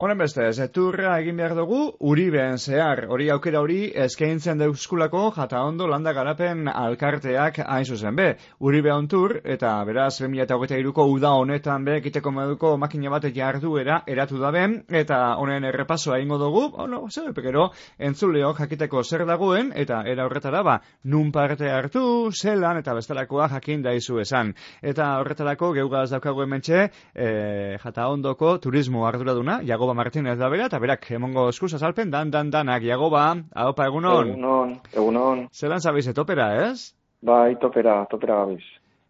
Honen beste, zeturra egin behar dugu Uriben zehar. Hori aukera hori eskaintzen deuskulako Jataondo landa garapen alkarteak hain zuzen be. Uribe ontur, eta beraz 2023ko uda honetan be, ekiteko moduko makina bat jarduera eratu daben, eta honen errepasoa egingo dugu, zer pekero, entzuleok jakiteko zer dagoen, eta era horretara, nun parte hartu, zelan, eta bestelakoa jakin daizu esan. Eta horretarako geugaz daukagu hementxe, Jataondoko turismo arduraduna, Jagoba Martínez da bera, eta berak emongo eskuz azalpen danak. Jagoba, haupa, egunon. Egunon. Zelan zabiz topera, ez? Bai, topera gabiz.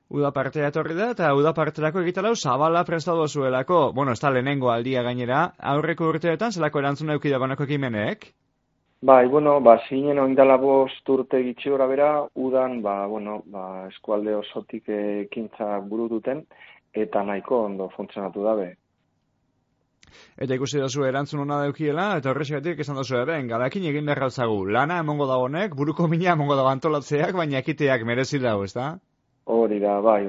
Uda partea etorri da, eta uda parterako egitalau zabala prestatu zuelako. Bueno, ez da lehenengo aldia gainera. Aurreko urteetan, zelako erantzuna eukida banako ekimenek? Bai, zinen oindala 5 urte gitxi gora bera, udan, eskualde osotik ekintzak buru duten, eta nahiko ondo funtzionatu dabe. Eta ikusi dozu erantzun hona daukiela, eta horrexegatik esan dozu galakin egin behar gautzagu. Lana emongo da honek, buruko mina emongo da antolatzeak, baina ekiteak merezi dago, ez da? Hori da, bai.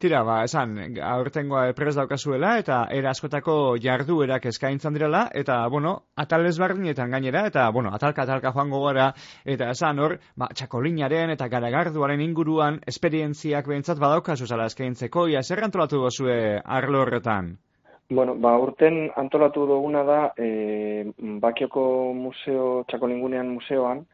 Tira, esan, aurtengoa prez daukazuela, eta era askotako jarduerak eskaintzan direla, eta, atal ezberdinetan gainera, eta, atalka joango gara, eta esan hor, txakolinaren eta garagarduaren inguruan esperientziak behintzat badaukazu zala eskaintzeko, ia zer antolatu dozue arlo horretan? Urten antolatu duguna da, Bakioko museo, txakolingunean museoan,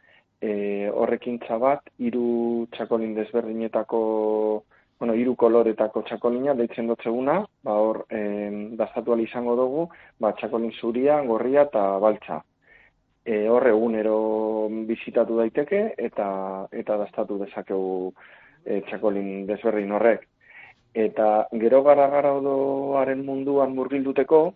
horrekintza bat, 3 txakolin desberdinetako, 3 koloretako txakolina, deitzen dotzeguna, hor, dastatu izango dugu, txakolin zuria, gorria eta baltza. Hor egunero bizitatu daiteke, eta dastatu dezakegu txakolin desberdin horrek. Eta gero garagardoaren munduan murgilduteko,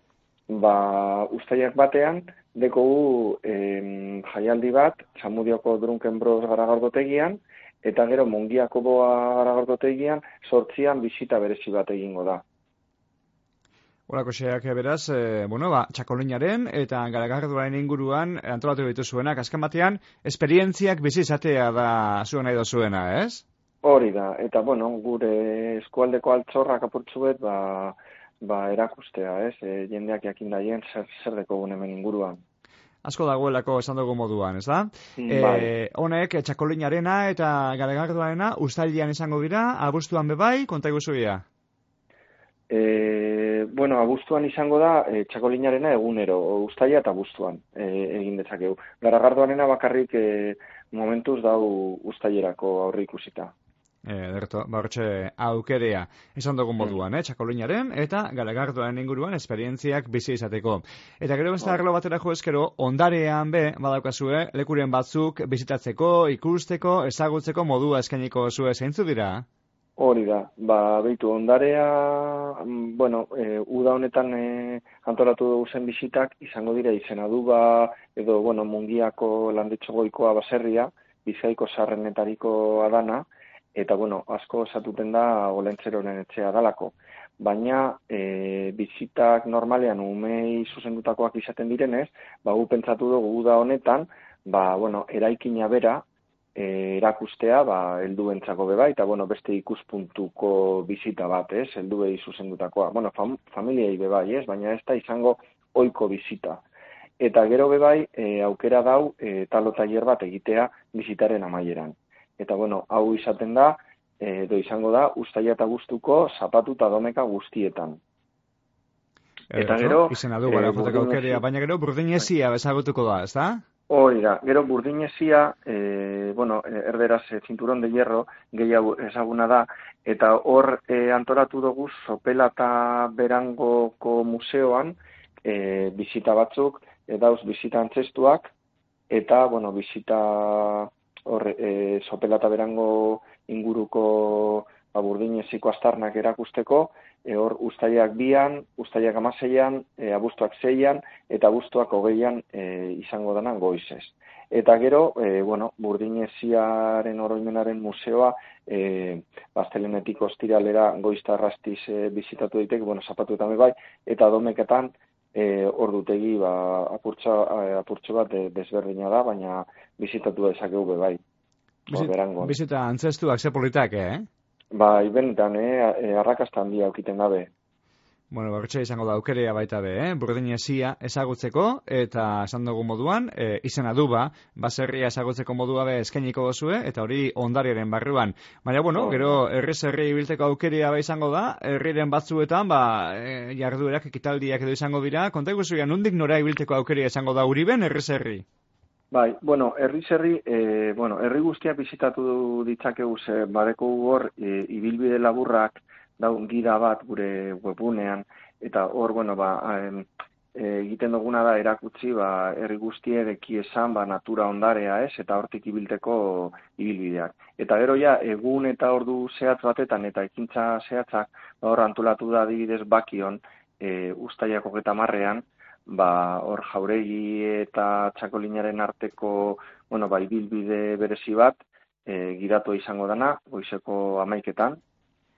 uztaiak batean, dekogu jaialdi bat, Zamudioko Drunkenbros garagardotegian, eta gero Mungiako Boa garagardotegian, 8an bisita berezi bat egingo da. Horako xeak beraz, txakolinaren eta garagardoaren inguruan antolatu dituzuenak, azken batean, esperientziak bizi izatea da zuen nahi dozuena, ez? Hori da, eta gure eskualdeko altzorrak apurtzuet, erakustea, ez? Jendeak jakin daien zer dekogun hemen inguruan. Asko dagoelako esan dugu moduan, ez da? Honek, txakolinarena eta garagardoarena uztailean izango dira, abuztuan bebai, konta iguzuia? Abuztuan izango da, txakolinarena egunero, uztaila eta abuztuan egin dezakegu. Garagardoarena bakarrik momentuz dau uztailerako aurre ikusita. Hortxe aukerea esan dugun moduan, txakolinaren eta garagardoaren inguruan esperientziak bizi izateko. Eta gero beste arlo batera jo ezkero, ondarean badaukazue, lekuren batzuk bizitatzeko, ikusteko, ezagutzeko modua eskainiko zue zeintzu dira? Hori da, behitu, ondarea, uda honetan antolatu dugu zen bizitak, izango dira Izenaduba, edo, Mungiako landetxogoikoa baserria, Bizkaiko sarrenetariko adana, eta, asko esatuten da Olentzeroren etxea dalako. Baina, bizitak normalean umei zuzendutakoak izaten direnez, gu pentsatu dugu uda honetan, eraikina bera, erakustea, helduentzako beba, eta, beste ikuspuntuko bizita bat, ez, helduei zuzendutakoa. Familiei bebai, ez, baina ez da izango ohiko bizita. Eta gero bebai, aukera dau, talo tailer bat egitea bizitaren amaieran. Eta, hau izaten da, izango da, uztaila eta abuztuko zapatu eta domeka guztietan. Eta gero, Izenaduba, baina gero burdinezia bezagutuko da, ez da? Hori da, gero burdinezia, erderaz cinturón de hierro, gehiago ezaguna da, eta hor antolatu dugu Sopela eta Berangoko museoan, bizita batzuk, dauz bizita antzestuak, eta, bizita Sopela eta Berango inguruko burdineziko astarnak erakusteko, hor uztailak 2an, uztailak 16an, abuztuak 6an, eta abuztuak 20an izango denan goizez. Eta gero, burdineziaren oroimenaren museoa, Astelehenetik ostiralera goizta arrastiz bizitatu daiteke, zapatu eta bai, eta domeketan ordutegi apurtxo bat desberdina da, baina bizitatu dezakegu bai. Bizita antzestuak ze politak, Bai, benetan, arrakasta handia aukiten dabe. Bueno, bertxe izango da aukerea baita be, burdin esia ezagutzeko, eta esan dugu moduan, izena du baserria ezagutzeko modua be eskainiko dozue, eta hori ondariaren barruan. Baina, bueno, gero herriz herri ibilteko aukerea izango da, herriren batzuetan, jarduerak, ekitaldiak edo izango dira, konta iguzuia, nondik nora ibilteko aukerea izango da Uriben herriz herri? Bai, bueno, herriz herri, herri guztiak bizitatu ditzakegu ze badeko hor ibilbide laburrak daun gida bat gure webunean, eta hor, egiten duguna da erakutsi, herri guztiek eki esan, natura ondarea ez, eta hortik ibilteko ibilbideak. Eta gero ja, egun eta ordu zehatz batetan, eta ekintza zehatzak, hor antolatu da adibidez Bakion, uztailak 30ean, hor Jauregi eta Txakolinaren arteko, ibilbide berezi bat, gidatu izango dana, goizeko 11etan,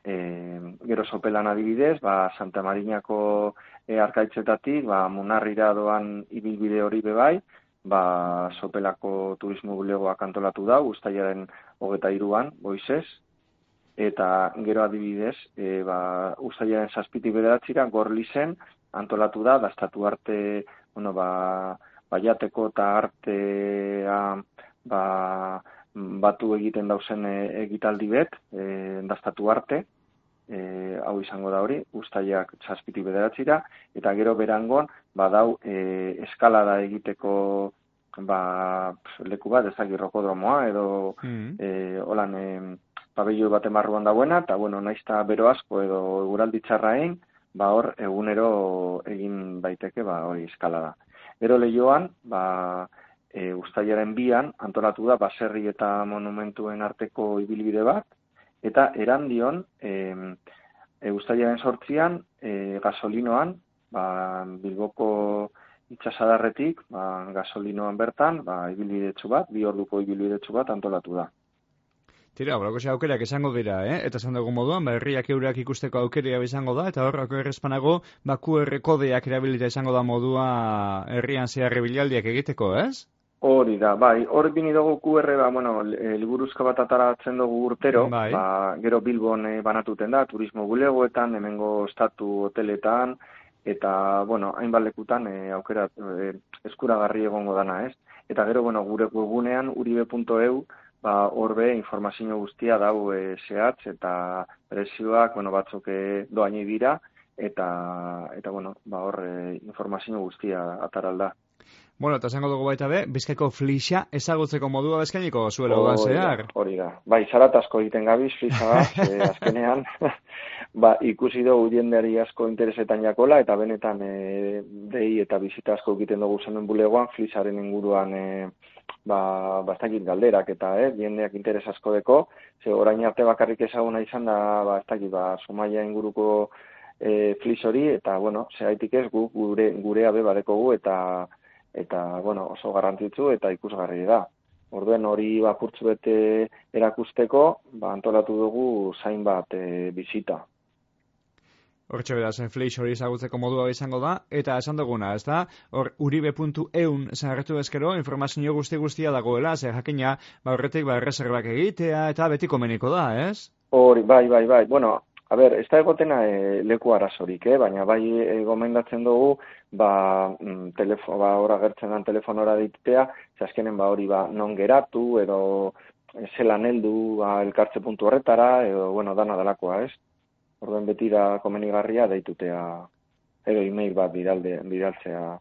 gero Sopelan adibidez, Santa Marinako arkaitzetatik, Munarrira doan ibilbide hori bebai, Sopelako turismo bulegoak antolatu da, uztailaren 23an, goizez, eta gero adibidez, uztailaren 7tik 9 Gorlizen antolatu da, dastatu arte, baiateko eta artea, batu egiten dauzen egitaldi bet, dastatu arte, hau izango da hori, uztailak 7tik 9, eta gero berangon, badau eskalada egiteko leku bat, ezagik rokodromoa, edo holan pabelloi baten barruan dagoena, eta naizta bero asko edo eguraldi txarrain, hor egunero egin baiteke hori eskalada. Gero Leioan, uztailaren 2an antolatu da baserri eta monumentuen arteko ibilbide bat, eta Erandion, uztailaren 8an, gasolinoan, Bilboko itxasadarretik, gasolinoan bertan, ibilbidetxu bat, 2 orduko ibilbidetxu bat antolatu da. Tira, horako aukerak izango dira, Eta esan dugu moduan, herriak eurak ikusteko aukeria izango da, eta horrako errezpanago, QR kodeak erabilita izango da modua herrian zeharri bilaldiak egiteko, ez? Hori da, hor bini dugu QR, liburuzka bat ataratzen dugu urtero, gero Bilbon banatuten da, turismo bulegoetan, hemengo estatu hoteletan, eta, hainbat lekutan aukera eskuragarri egongo dana, ez? Eta gero, gure webunean, uribe.eu, horbe informazio guztia dau zehatz, eta prezioak, batzuk doaini dira, eta hor informazio guztia ataralda. Bueno, eta esango dugu baita be, Bizkaiko flixa ezagutzeko modua eskainiko zuela udan zehar. Hori da. Zarat asko egiten gabiz, flixa azkenean, ikusi dugu jendeari asko interesetan jakola, eta benetan dei eta bizita asko egiten dugu zenuen bulegoan, flixaren inguruan bastakit galderak, eta jendeak interes asko deko, ze orain arte bakarrik ezaguna izan da, Zumaia inguruko flix hori, eta, zehaitik ez gurea bebareko gu, eta oso garrantzitsu eta ikusgarri da. Orduen hori kurtzu bete erakusteko, antolatu dugu zain bat bizita. Hortxe beraz, flix hori ezagutzeko modua izango da, eta esan duguna, ez da? Hor, uribe.eun zarretu ezkero, informazio guztia dagoela, zer jakina, horretik erreserbak egitea, eta betiko meniko da, ez? Hori, bai. Ez da egotena leku arazorik, baina gomendatzen dugu, hor agertzen den telefonora ditea, azkenen hori non geratu, edo zelan heldu elkartze puntu horretara, edo, dana dalakoa, ez? Orduen beti da komenigarria deitutea, edo email bat bidaltzea,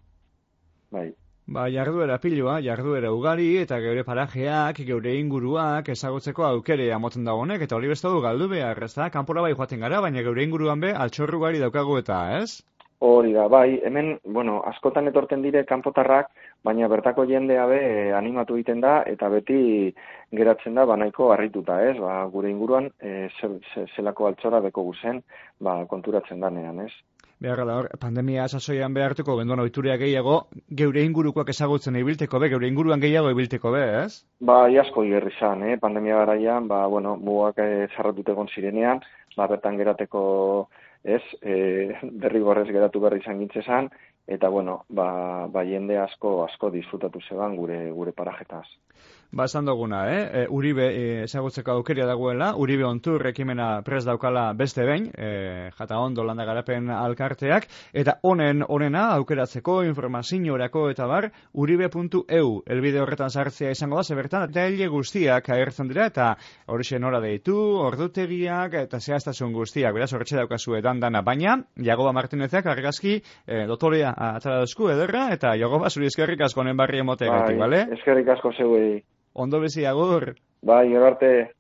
bai. Jarduera piloa, jarduera ugari, eta geure parajeak, geure inguruak, ezagutzeko aukerea moten da honek, eta hori beste du galdu behar, ez da? Kanpora joaten gara, baina geure inguruan be, altxorru gari daukagu eta, ez? Hori da, hemen, askotan etorten dire kanpotarrak, baina bertako jendea be animatu egiten da, eta beti geratzen da, nahiko harrituta, ez? Gure inguruan, zelako altxora beko guzen, konturatzen danean, ez? Beharra da hor, pandemia sasoian behartuko, benduan oituria gehiago, geure ingurukoak ezagutzen ibilteko be, geure inguruan gehiago ibilteko be, ez? Asko igerri zan, pandemia garaian, mugak zarratut egon zirenean, bertan gerateko, ez, derrigorrez geratu berri izan gintzezan, eta bueno, jende asko disfrutatu zeban gure parajetaz. Esan duguna, Uribe ezagutzeko aukeria dagoela, Uribe ontur ekimena prest daukala beste behin, Jataondo landa garapen alkarteak, eta onena aukeratzeko informaziorako eta bar, uribe.eu, elbide horretan sartzea izango da, zebertan, eta hile guztiak agertzen dira, eta horixe nora deitu, ordutegiak, eta zehaztasun guztiak, beraz horretxe daukazu dana, baina, Jagoba Martinezak argazki dotorea atara dozku ederra, eta Jagoba zuri eskerrik asko honen barri emotegatik, bale? Eskerrik asko zeuei. Ondo bizi, agur. Bai, gero arte.